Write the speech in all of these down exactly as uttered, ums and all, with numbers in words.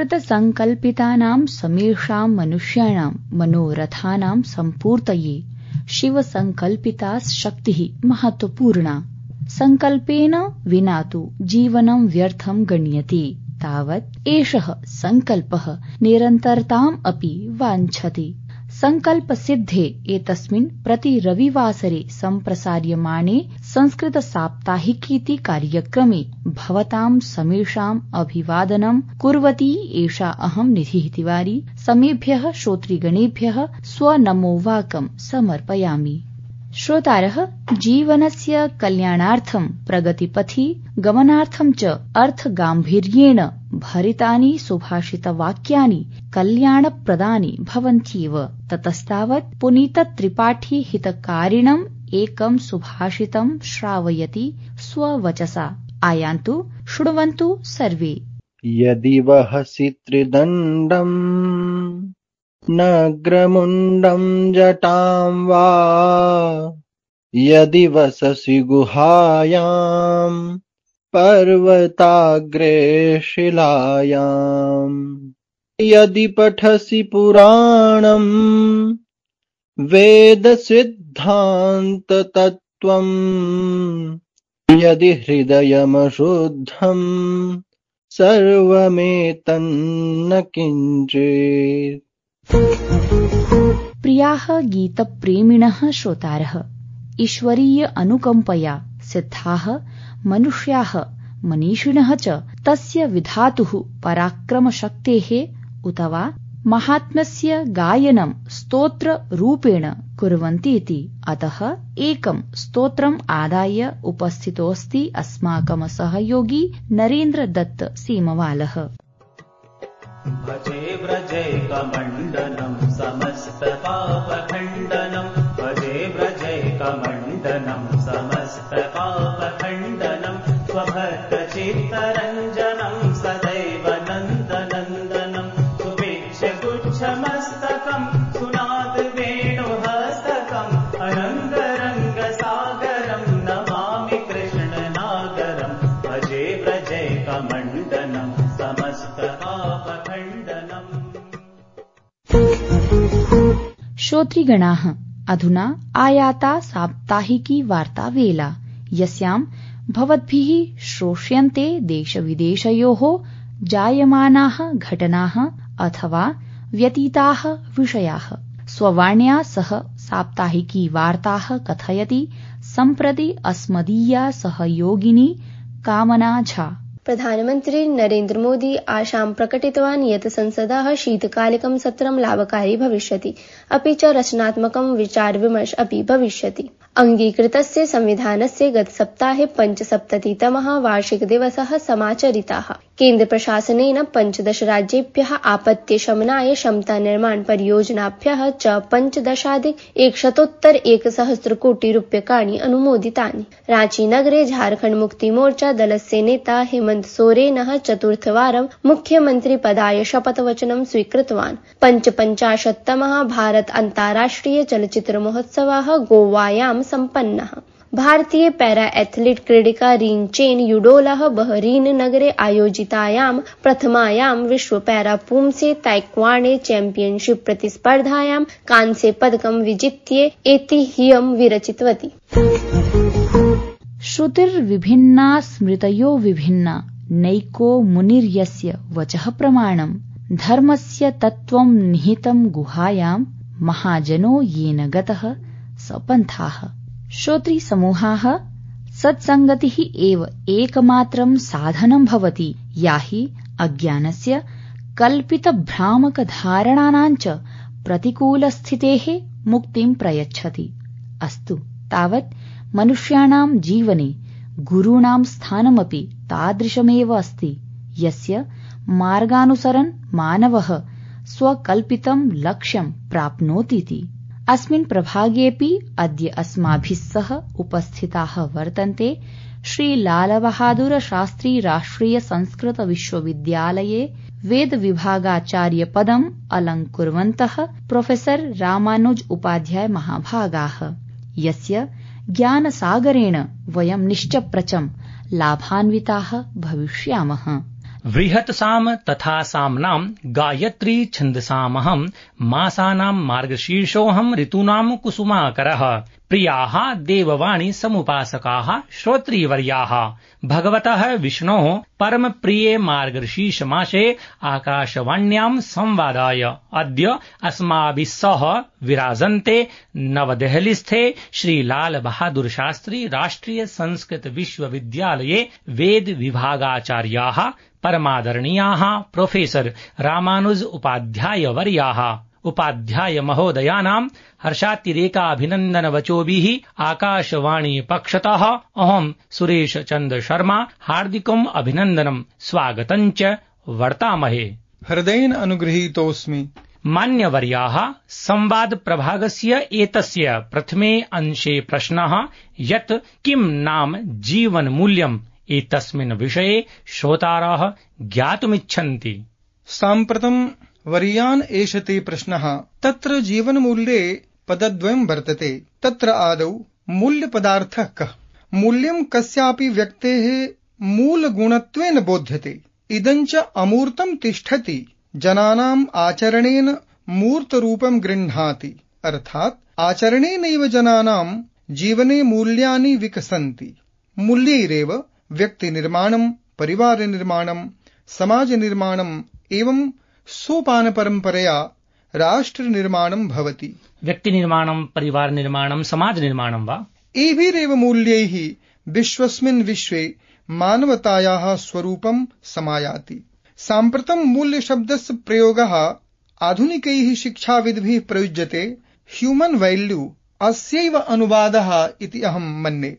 कृतसङ्कल्पितानां समेषां मनुष्याणां मनोरथानां सम्पूर्तये शिवसङ्कल्पिता शक्तिः महत्वपूर्णा। सङ्कल्पेन विना तु जीवनं व्यर्थं गण्यते। तावत् एषः सङ्कल्पः निरन्तरताम् अपि वाञ्छति। सङ्कल्पसिद्धे एतस्मिन् प्रति रविवासरे सम्प्रसार्यमाणे संस्कृत साप्ताहिकीति कार्यक्रमे भवतां समेषाम् अभिवादनं कुर्वती एषा अहं निधिः तिवारी समेभ्यः श्रोतृगणेभ्यः स्वनमोवाकं समर्पयामि। श्रोतारः, जीवनस्य कल्याणार्थं प्रगतिपथि गमनार्थं च अर्थगाम्भीर्येण भरितानि सुभाषितवाक्यानि कल्याणप्रदानि भवन्त्येव। ततस्तावत् पुनीतत्रिपाठी हितकारिणम् एकं सुभाषितं श्रावयति स्ववचसा। आयान्तु, शृण्वन्तु सर्वे। यदि वहसि त्रिदण्डम् नग्रमुण्डं जटां वा, यदि वससि गुहायां पर्वताग्रे शिलायां, यदि पठसि पुराणं वेदसिद्धान्ततत्त्वं, यदि हृदयमशुद्धं सर्वमेतन्न किञ्चित्। प्रियाः गीतप्रेमिणः श्रोतारः, ईश्वरीय अनुकम्पया सिद्धाः मनुष्याः मनीषिणः च तस्य विधातुः पराक्रमशक्तेः उत वा महात्म्यस्य गायनं स्तोत्ररूपेण कुर्वन्ति इति। अतः एकं स्तोत्रम् आदाय उपस्थितोऽस्ति अस्माकं सहयोगी नरेन्द्र दत्त सीमवालः। भजे व्रजैकमण्डनं समस्तपापखण्डनं, भजे व्रजैकमण्डनं समस्तपापखण्डनं, स्वभक्तचित्तरञ्जनं सदैव नन्दनन्दनं, सुभिक्षगुच्छमस्तकं सुनादवेणुहस्तकम्, अनङ्गरङ्गसागरं नमामि कृष्णनागरं, भजे व्रजैकमण्डनं समस्तपापखण्डनम्। श्रोतृगणाः, अधुना आयाता साप्ताहिकी वार्तावेला, यस्यां भवद्भिः श्रोष्यन्ते देशविदेशयोः जायमानाः घटनाः अथवा व्यतीताः विषयाः। स्ववाण्या सह साप्ताहिकी वार्ताः कथयति सम्प्रति अस्मदीया सहयोगिनी कामना झा। प्रधानमन्त्री नरेन्द्र मोदी आशां प्रकटितवान् यत् संसदः शीतकालिकं सत्रं लाभकारी भविष्यति, अपि च रचनात्मकं विचारविमर्श अपि भविष्यति। अङ्गीकृतस्य संविधानस्य गतसप्ताहे पञ्चसप्ततितमः वार्षिकदिवसः समाचरितः। केन्द्रप्रशासनेन पञ्चदश राज्येभ्यः आपत्तिशमनाय क्षमतानिर्माण परियोजनाभ्यः च पञ्चदशाधिक एकशतोत्तर एकसहस्रकोटिरूप्यकाणि अनुमोदितानि। रांचीनगरे झारखण्ड मुक्तिमोर्चा दलस्य नेता हेमन्त सोरेनः चतुर्थवारं मुख्यमन्त्रिपदाय शपथवचनं स्वीकृतवान्। पञ्चपञ्चाशत्तमः भारत अन्ताराष्ट्रिय चलच्चित्रमहोत्सवः गोवायां सम्पन्नः। भारतीय पैरा एथलीट क्रीडिका रीन चेन युडोलः बहरीन नगरे आयोजितायां प्रथमायां विश्व पैरा पुंसे ताइक्वांडो चैंपियनशिप प्रतिस्पर्धायां कांस्य पदकं विजित्य ऐतिह्यं विरचितवती। श्रुतिर्विभिन्ना स्मृतयो विभिन्ना, नैको मुनिर्यस्य वचः प्रमाणम्, धर्मस्य तत्त्वं निहितं गुहायां, महाजनो येन गतः सपन्थाः। श्रोतृसमूहाः, सत्सङ्गतिः एव एकमात्रं साधनं भवति या हि अज्ञानस्य कल्पितभ्रामकधारणानां च प्रतिकूलस्थितेः मुक्तिं प्रयच्छति। अस्तु, तावत् मनुष्याणां जीवने गुरूणां स्थानमपि तादृशमेव अस्ति, यस्य मार्गानुसरन् मानवः स्वकल्पितं लक्ष्यं प्राप्नोतीति। अस्मिन् प्रभागेऽपि अद्य अस्माभिः सह उपस्थिताः वर्तन्ते श्री लालबहादुर शास्त्री राष्ट्रिय संस्कृत विश्वविद्यालये वेदविभागाचार्य पदम् अलङ्कुर्वन्तः प्रोफेसर रामानुज उपाध्याय महाभागाः, यस्य ज्ञानसागरेण वयं निश्चप्रचं लाभान्विताः भविष्यामः। बृहत्साम तथा साम्नां गायत्री छन्दसामहं मासानां मार्गशीर्षोऽहं ऋतूनां कुसुमाकरः प्रियाः देववाणी समुपासकाः श्रोत्रीवर्याः भगवतः विष्णोः परमप्रिये मार्गशीर्षमासे आकाशवाण्यां संवादाय अद्य अस्माभिः सह विराजन्ते नवदेहलीस्थे श्री लाल बहादुर शास्त्री राष्ट्रिय संस्कृत विश्वविद्यालये वेद विभागाचार्याः परमादरणीयाः प्रोफेसर रामानुज उपाध्याय वर्याः उपाध्याय महोदयानां हर्षातिरेकाभिनन्दन वचोभिः आकाशवाणी पक्षतः अहं सुरेश चन्द्र शर्मा हार्दिकम् अभिनन्दनं स्वागतं च वर्तामहे। हृदयेन अनुगृहीतोऽस्मि। मान्यवर्याः, संवाद प्रभागस्य एतस्य प्रथमे अंशे प्रश्नः यत् किं नाम जीवन मूल्यम् एतस्मिन् विषये श्रोतारः ज्ञातुमिच्छन्ति। साम्प्रतं वर्यान् एषते प्रश्नः। तत्र जीवनमूल्ये पदद्वयं वर्तते। तत्र आदौ मूल्यपदार्थः कः। मूल्यं कस्यापि व्यक्तेः मूलगुणत्वेन बोध्यते। इदञ्च अमूर्तं तिष्ठति, जनानाम् आचरणेन मूर्तरूपं गृह्णाति। अर्थात् आचरणेनैव जनानां जीवने मूल्यानि विकसन्ति। मूल्यैरेव व्यक्तिनिर्माणं, परिवारनिर्माणं, समाजनिर्माणम् एवं सोपानपरम्परया राष्ट्रनिर्माणं भवति। व्यक्तिनिर्माणं, परिवारनिर्माणं, समाजनिर्माणं वा एभिरेव मूल्यैः विश्वस्मिन् विश्वे मानवतायाः स्वरूपं समायाति। साम्प्रतं मूल्यशब्दस्य प्रयोगः आधुनिकैः शिक्षाविद्भिः प्रयुज्यते। ह्यूमन् वैल्यू अस्यैव अनुवादः इति अहं मन्ये।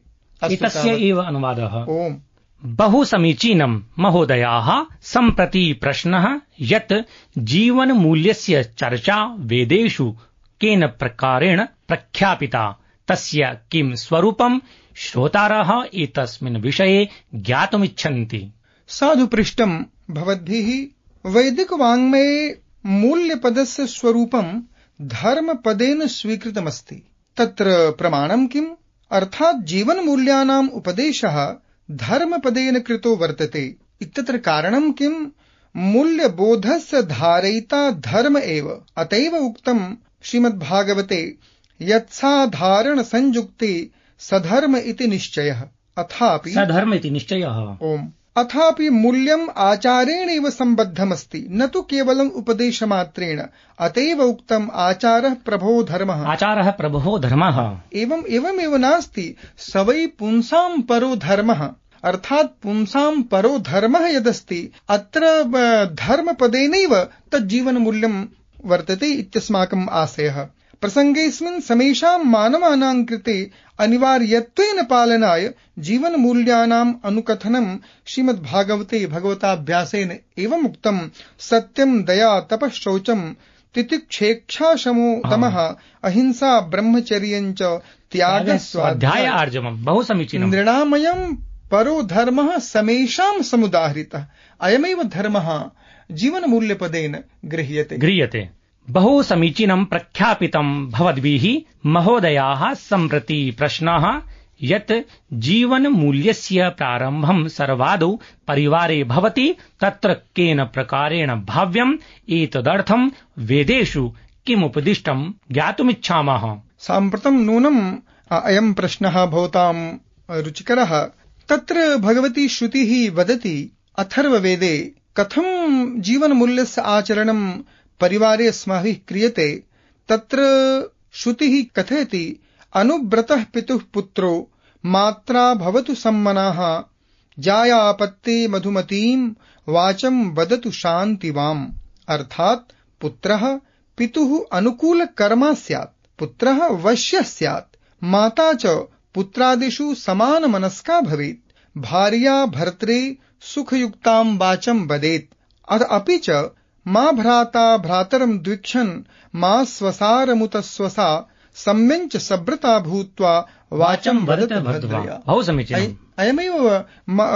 एतस्य एव अनुवादः। ओम्। बहु समीचीनं महोदयाः। सम्प्रति प्रश्नः यत् जीवनमूल्यस्य चर्चा वेदेषु केन प्रकारेण प्रख्यापिता, तस्य किं स्वरूपं श्रोतारः एतस्मिन् विषये ज्ञातुमिच्छन्ति। साधु पृष्टं भवद्भिः। वैदिकवाङ्मये मूल्यपदस्य स्वरूपं धर्मपदेन स्वीकृतमस्ति। तत्र प्रमाणं किम्? अर्थात् जीवनमूल्यानाम् उपदेशः धर्मपदेन कृतो वर्तते। इत्यत्र कारणं किम्? मूल्यबोधस्य धारयिता धर्म एव। अतएव उक्तं श्रीमद्भागवते यत्साधारण संयुक्ते सधर्म इति निश्चयः। अथापि सधर्म इति निश्चयः। ओम्। अथापि मूल्यम् आचारेणैव सम्बद्धमस्ति, न तु केवलम् उपदेशमात्रेण। अतएव उक्तम् आचारः प्रभो धर्मः। आचारः प्रभो धर्मः। एवम् एवमेव नास्ति, स वै पुंसां परो धर्मः। अर्थात् पुंसां परो धर्मः यदस्ति, अत्र धर्मपदेनैव तज्जीवनमूल्यं वर्तते इत्यस्माकम् आशयः। प्रसङ्गेऽस्मिन् समेषां मानवानां कृते अनिवार्यत्वेन पालनाय जीवनमूल्यानाम् अनुकथनं श्रीमद्भागवते भगवताभ्यासेन एवम् उक्तं। सत्यं, दया, तपः, शौचं, तितिक्षेक्षा, शमो, दमः, अहिंसा, ब्रह्मचर्यं च त्यागः, स्वाध्याय आर्जवम्। बहु समीचीनं। नृणामयं परो धर्मः समेषां समुदाहृतः। अयमेव धर्मः जीवनमूल्यपदेन गृह्यते गृह्यते बहु समीचीनं प्रख्यापितं भवद्भिः महोदयाः। सम्प्रति प्रश्नः यत् जीवनमूल्यस्य प्रारम्भं सर्वादौ परिवारे भवति, तत्र केन प्रकारेण भाव्यम् एतदर्थं वेदेषु किमुपदिष्टं ज्ञातुमिच्छामः। साम्प्रतं नूनम् अयं प्रश्नः भवतां रुचिकरः। तत्र भगवती श्रुतिः वदति अथर्ववेदे कथं जीवनमूल्यस्य आचरणं परिवारे अस्माभिः क्रियते। तत्र श्रुतिः कथयति अनुव्रतः पितुः पुत्रो मात्रा भवतु सम्मनाः जायापत्ते मधुमतीं वाचं वदतु शान्तिवाम्। अर्थात् पुत्रः पितुः अनुकूलकर्मा स्यात्, पुत्रः वश्यः स्यात्, माता च पुत्रादिषु समानमनस्का भवेत्, भार्या भर्त्रे सुखयुक्तां वाचं वदेत्। अपि च मा भ्राता भ्रातरं द्विक्षन् मा स्वसारमुत स्वसा सम्यञ्च सभ्रता भूत्वा वाचं वदत भद्रया। बहु समीचीनम्। अयमेव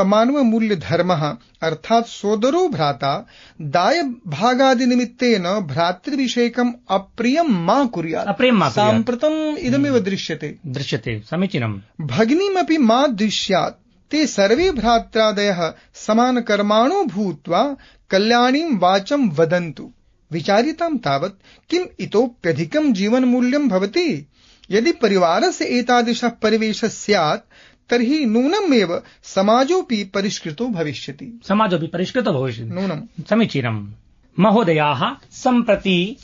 मानवमूल्यधर्मः। अर्थात् सोदरो भ्राता दायभागादिनिमित्तेन भ्रातृविषयकम् अप्रियं मा कुर्यात्। साम्प्रतम् इदमेव दृश्यते दृश्यते समीचीनम्। भगिनीमपि मा द्विष्यात्, ते सर्वे भ्रात्रादयः समानकर्माणो भूत्वा कल्याणीं वाचं वदन्तु। विचारितां तावत् किम् इतोप्यधिकं जीवनमूल्यं भवति? यदि परिवारस्य एतादृशः परिवेशः स्यात् तर्हि नूनमेव समाजोऽपि परिष्कृतो भविष्यति। समाजोऽपि परिष्कृतो भविष्यति। नूनं समीचीनम्। महोदयाः, सम्प्रति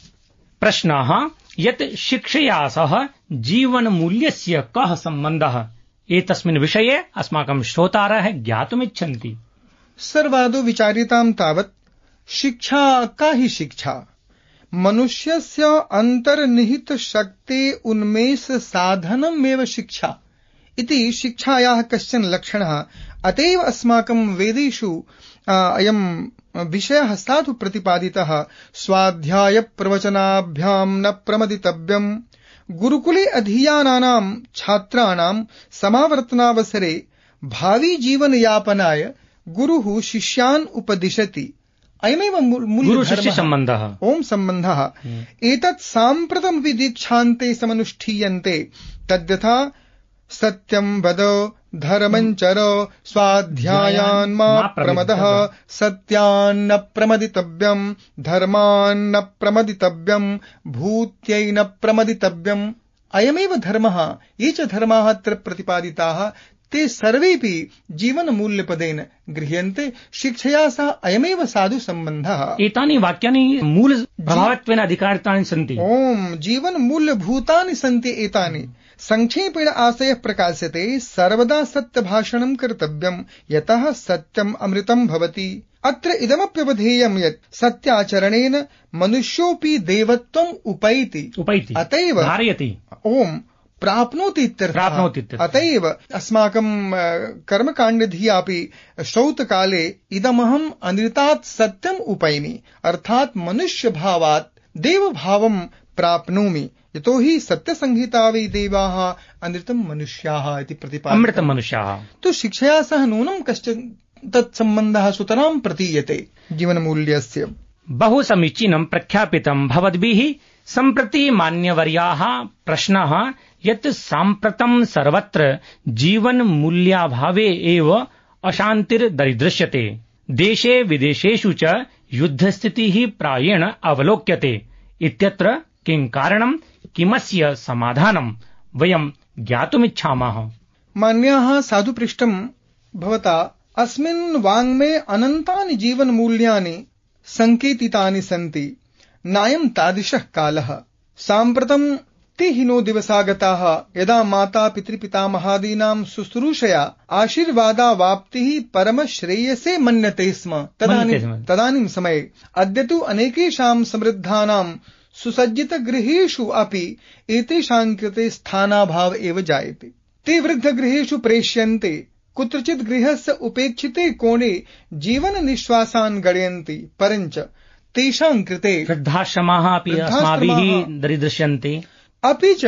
प्रश्नः यत् शिक्षया सह जीवनमूल्यस्य कः सम्बन्धः, एतस्मिन् विषये अस्माकं श्रोतारः ज्ञातुमिच्छन्ति। सर्वादौ विचारितां तावत् शिक्षा का हि शिक्षा? मनुष्यस्य अन्तर्निहित शक्ते उन्मेष साधनमेव शिक्षा इति शिक्षायाः कश्चन लक्षणः। अतएव अस्माकं वेदेषु अयं विषयः साधु प्रतिपादितः। स्वाध्याय प्रवचनाभ्यां न प्रमदितव्यम्। गुरुकुले अधीयानानां छात्राणां समावर्तनावसरे भावी जीवनयापनाय गुरुः शिष्यान् उपदिशति। अयमेव गुरु शिष्य सम्बन्धः, ओम सम्बन्धः। एतत् साम्प्रतमपि दीक्षान्ते समनुष्ठीयन्ते। तद्यथा सत्यं वद, धर्मं चर, स्वाध्यायान् मा प्रमदः, सत्यान्न प्रमदितव्यम्, धर्मान्न प्रमदितव्यम्, भूत्यै न प्रमदितव्यम्। अयमेव धर्मः। ये च धर्माः अत्र प्रतिपादिताः ते सर्वेपि जीवनमूल्यपदेन गृह्यन्ते। शिक्षया सह अयमेव साधु सम्बन्धः। एतानि वाक्यानि मूलप्रभावत्वेन अधिकारितानि सन्ति। ओम जीवनमूल्यभूतानि सन्ति एतानि। संक्षेपेण आशयः प्रकाश्यते। सर्वदा सत्यभाषणं कर्तव्यम्, यतः सत्यम् अमृतं भवति। अत्र इदमप्यवधेयं यत् सत्याचरणेन मनुष्योऽपि देवत्वम् उपैति उपैति अतएव धारयति। ओम प्राप्नोति इत्यर्थः। अतएव अस्माकं कर्मकाण्डधियापि श्रौतकाले इदमहम् अनृतात् सत्यम् उपैमि, अर्थात् मनुष्यभावात् देवभावं प्राप्नोमि। यतो हि सत्यसंहिता वै देवाः अनृतं मनुष्याः इति प्रतिपादितम्। अमृतं मनुष्याः। तो शिक्षया सह नूनं कश्चन तत्सम्बन्धः सुतरां प्रतीयते जीवनमूल्यस्य। बहु समीचीनं प्रख्यापितं भवद्भिः। सम्प्रति मान्यवर्याः प्रश्नः यत् साम्प्रतं सर्वत्र जीवनमूल्याभावे एव अशान्तिर्दरीदृश्यते। देशे विदेशेषु च युद्धस्थितिः प्रायेण अवलोक्यते इत्यत्र किं कारणं, किमस्य समाधानं वयं ज्ञातुमिच्छामः। मान्याः साधु पृष्टं भवता अस्मिन् वाङ्मये अनन्तानि जीवनमूल्यानि सङ्केतितानि सन्ति। नायं तादृशः कालः। साम्प्रतं ते हिनो दिवसागताः यदा माता पितृपितामहादीनां शुश्रूषया आशीर्वादावाप्तिः परमश्रेयसे मन्यते स्म। तदानीं तदानीं समये अद्य तु अनेकेषां समृद्धानां सुसज्जितगृहेषु अपि एतेषां कृते स्थानाभाव एव जायते। ते वृद्धगृहेषु प्रेष्यन्ते। कुत्रचित् गृहस्य उपेक्षिते कोणे जीवननिश्वासान् गणयन्ति। परञ्च तेषां कृते वृद्धाश्रमाः अपि अस्माभिः दरीदृश्यन्ते। अपि च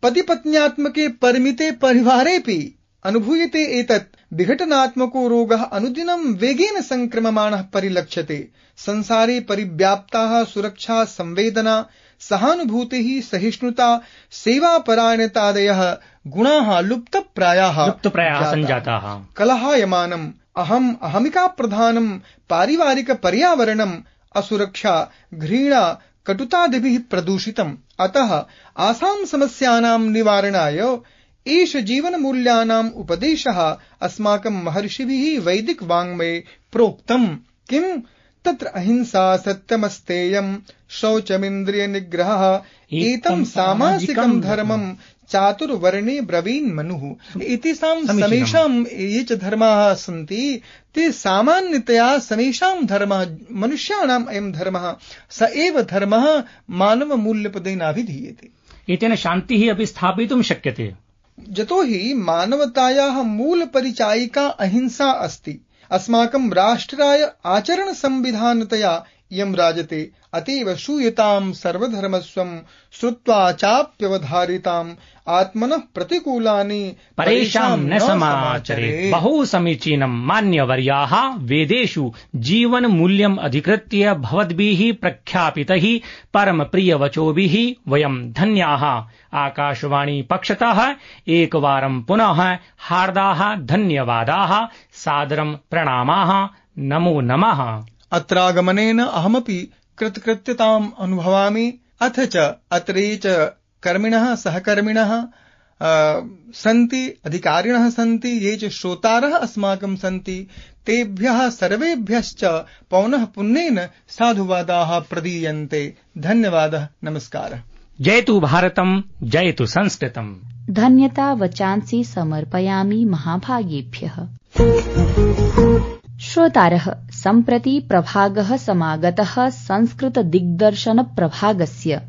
पतिपत्न्यात्मके परिमिते परिवारेऽपि अनुभूयते एतत् विघटनात्मको रोगः अनुदिनं वेगेन संक्रममाणः परिलक्ष्यते। संसारे परिव्याप्ताः सुरक्षा, संवेदना, सहानुभूतिः, सहिष्णुता, सेवापरायणतादयः गुणाः लुप्तप्रायाः लुप्तप्रायाः सञ्जाताः। कलहायमानम् अहम् अहमिका प्रधानं पारिवारिक पर्यावरणम् असुरक्षा, घृणा, कटुतादिभिः प्रदूषितम्। अतः आसां समस्यानां निवारणाय एष जीवनमूल्यानाम् उपदेशः अस्माकं महर्षिभिः वैदिक वाङ्मये प्रोक्तम्। किम् तत्र अहिंसा, सत्यमस्तेयम्, शौचमिन्द्रियनिग्रहः, एतं सामासिकं धर्मं चातुर्वर्णे ब्रवीन् मनुः। एतेषां समेषां ये च धर्माः सन्ति ते सामान्यतया समेषां धर्मः मनुष्याणाम् अयं धर्मः स एव धर्मः मानवमूल्यपदेनाभिधीयते। एतेन शान्तिः अपि स्थापयितुं शक्यते। यतो हि मानवतायाः मूलपरिचायिका अहिंसा अस्ति। अस्माकं राष्ट्राय आचरणसंविधानतया यम राजते अतीव श्रूयताम् सर्वधर्मस्वम् श्रुत्वा चाप्यवधारिताम् आत्मनः प्रतिकूलानि परेषां न समाचरेत्। बहु समीचीनं मान्यवर्याः, वेदेषु जीवन मूल्यम् अधिकृत्य भवद्भिः प्रख्यापितैः परमप्रियवचोभिः वयं धन्याः। आकाशवाणी पक्षतः एकवारं पुनः हार्दाः धन्यवादाः, सादरं प्रणामाः, नमो नमः। अत्रागमनेन अहमपि कृतकृत्यताम् अनुभवामि। अथ च अत्रे च कर्मिणः सहकर्मिणः सन्ति, अधिकारिणः सन्ति, ये च श्रोतारः अस्माकं सन्ति, तेभ्यः सर्वेभ्यश्च पौनः पुन्येन साधुवादाः प्रदीयन्ते। धन्यवादः, नमस्कारः। जयतु भारतम्, जयतु संस्कृतम्। धन्यता वचांसि समर्पयामि महाभागेभ्यः। श्रोतारः, सम्प्रति प्रभागः समागतः संस्कृत दिग्दर्शन प्रभागस्य,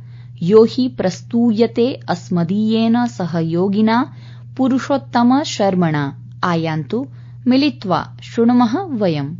यो हि प्रस्तूयते अस्मदीयेन सहयोगिना पुरुषोत्तम शर्मणा। आयान्तु मिलित्वा शृणुमः वयम्।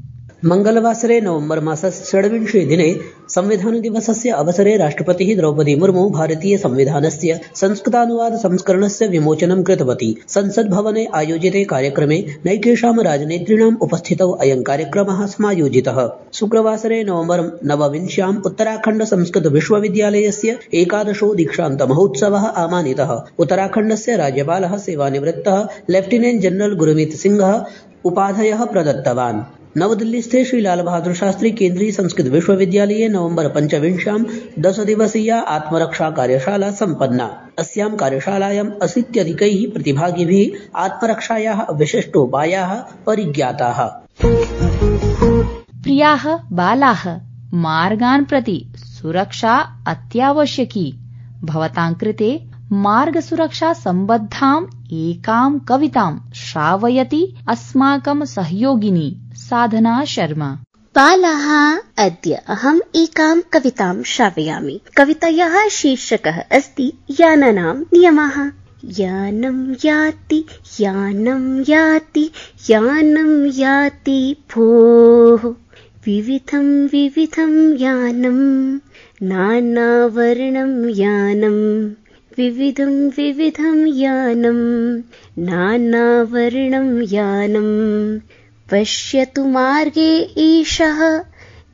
मंगलवासरे नवम्बर मासस्य षड्विंशे दिने संविधान दिवसस्य अवसरे राष्ट्रपतिः द्रौपदी मुर्मू भारतीय संविधानस्य संस्कृतानुवाद संस्करणस्य विमोचनं कृतवती। संसद भवने आयोजिते कार्यक्रमे नैकेषां राजनेतॄणाम् उपस्थितौ अयं कार्यक्रमः समायोजितः। शुक्रवासरे नवम्बर नवविंश्याम् उत्तराखण्ड संस्कृत विश्वविद्यालयस्य एकादशो दीक्षान्त महोत्सवः आमानितः। उत्तराखण्डस्य राज्यपालः सेवानिवृत्तः लेफ्टिनेंट जनरल गुरमीत सिंहः उपाधयः प्रदत्तवान्। नवदिल्लीस्थे श्री लाल बहादुर शास्त्री केन्द्रीय संस्कृत विश्वविद्यालये नवम्बर पञ्चविंश्यां दश दिवसीया आत्मरक्षा कार्यशाला सम्पन्ना। अस्यां कार्यशालायाम् अशीत्यधिकैः प्रतिभागिभिः आत्मरक्षायाः विशिष्टोपायाः परिज्ञाताः। प्रियाः बालाः, मार्गान् प्रति सुरक्षा अत्यावश्यकी। भवतां कृते मार्गसुरक्षा सम्बद्धाम् एकां कवितां श्रावयति अस्माकं सहयोगिनी साधना शर्मा। बालाः, अद्य अहम् एकां कवितां श्रावयामि। कवितायाः शीर्षकः अस्ति यानानां नियमः। यानं याति यानं याति यानं याति भोः, विविधं विविधं यानं, नानावर्णं यानं, विविधं विविधं यानं, नानावर्णं यानं। पश्यतु मार्गे ईशः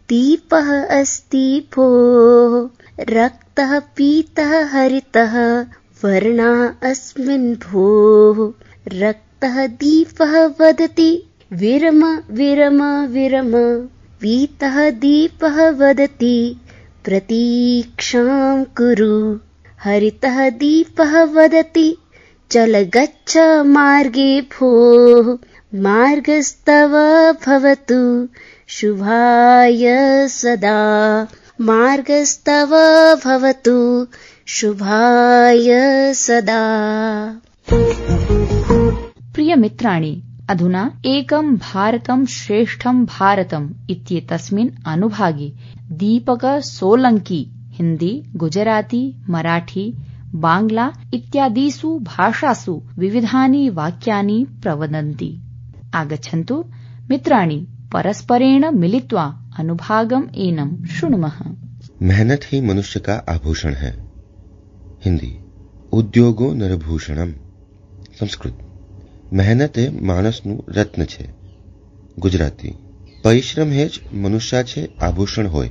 दीपः अस्ति भोः, रक्तः पीतः हरितः वर्णा अस्मिन् भोः। रक्तः दीपः वदति विरम विरम विरम, पीतः दीपः वदति प्रतीक्षां कुरु। हरितः दीपः वदति चल गच्छ मार्गे भोः, मार्गस्तव भवतु शुभाय सदा। मार्गस्तव भवतु शुभाय सदा। प्रिय मित्राणि, अधुना एकं भारतं श्रेष्ठं भारतम् इत्येतस्मिन् अनुभागे दीपक सोलंकी हिंदी, गुजराती, मराठी, बांग्ला इत्यादिषु भाषासु विविधानि वाक्यानि प्रवदन्ति। आगच्छन्तु मित्राणि, परस्परेण मिलित्वा अनुभागम् एनं शृणुमः। मेहनत ही मनुष्य का आभूषण है। हिंदी, उद्योगो नरभूषणम। संस्कृत, મહેનત એ માણસનું રત્ન છે. ગુજરાતી, પરિશ્રમ એ જ મનુષ્ય છે આભૂષણ હોય.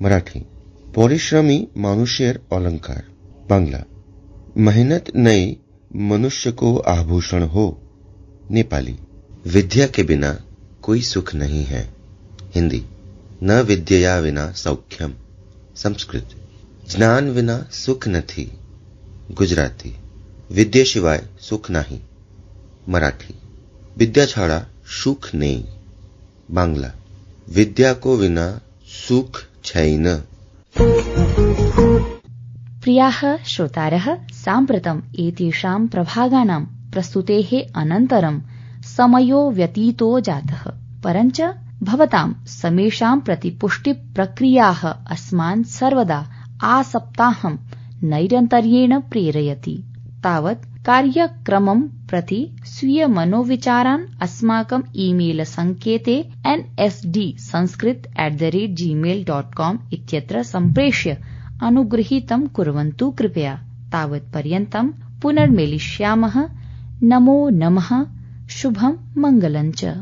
મરાઠી, પરિશ્રમી મનુષ્યર अलंकार. बांग्ला, मेहनत नहीं मनुष्य को आभूषण हो. नेपाली, विद्या के बिना कोई सुख नहीं है. हिंदी, न विद्यया विना सौख्यम. संस्कृत, ज्ञान विना सुख નથી. गुजराती, विद्या सिवाय सुख नहीं. मराठी, विद्या छाड़ा सुख नहीं. बांग्ला, विद्या को विना सुख छैन. प्रियाः श्रोतारः, साम्प्रतम् एतेषां प्रभागानां प्रस्तुतेः अनन्तरं समयो व्यतीतो जातः, परञ्च भवतां समेषां प्रति पुष्टिप्रक्रियाः अस्मान् सर्वदा आसप्ताहं नैरन्तर्येण प्रेरयति. तावत् कार्यक्रमं प्रति स्वीय मनोविचारान् अस्माकं ईमेल सङ्केते N S D Sanskrit at the rate Gmail dot com इत्यत्र सम्प्रेष्य अनुगृहीतं कुर्वन्तु कृपया। तावत्पर्यन्तं पुनर्मेलिष्यामः। नमो नमः। शुभं मङ्गलं च।